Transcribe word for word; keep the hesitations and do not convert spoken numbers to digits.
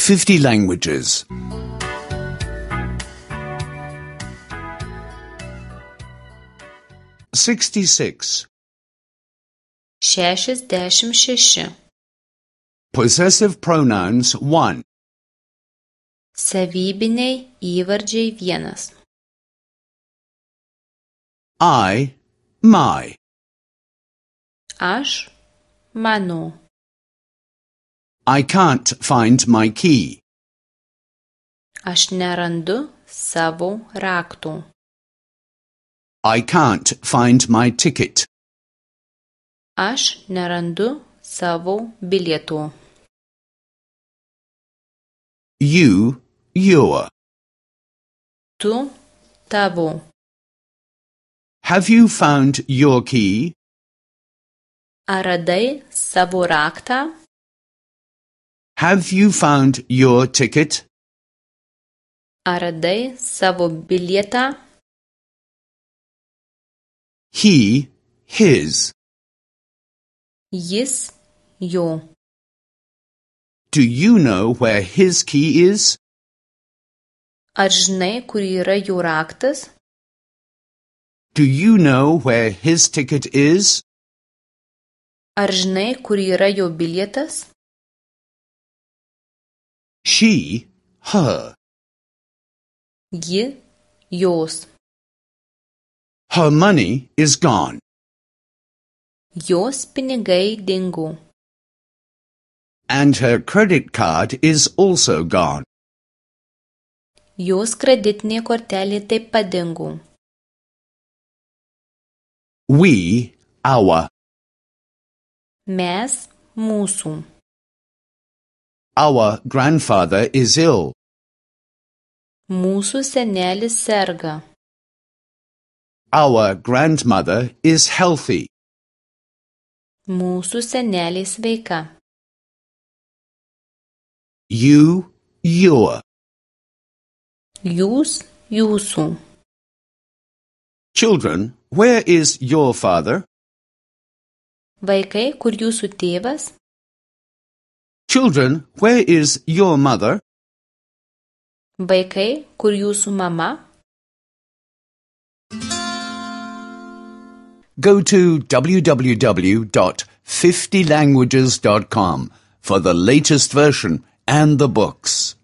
fifty languages. sixty-six. Šešiasdešimt šeši. Possessive pronouns one. Savybiniai įvardžiai vienas. I, my. Aš, mano. I can't find my key. Aš nerandu savo raktų. I can't find my ticket. Aš nerandu savo bilietų. You, your. Tu, tavo. Have you found your key? Ar radai savo raktą? Have you found your ticket? Ar radai savo bilietą? He, his. Jis, jo. Do you know where his key is? Ar žinai, kur yra jo raktas? Do you know where his ticket is? Ar žinai, kur yra jo bilietas? She, her. Ji, jos. Her money is gone. Jos pinigai dingo. And her credit card is also gone. Jos kreditinė kortelė taip pat dingo. We, our. Mes, mūsų. Our grandfather is ill. Mūsų senelis serga. Our grandmother is healthy. Mūsų senelė sveika. You, your. Jūs, jūsų. Children, where is your father? Vaikai, kur jūsų tėvas? Children, where is your mother? Vaikai, kur jūsų mama? Go to w w w dot fifty languages dot com for the latest version and the books.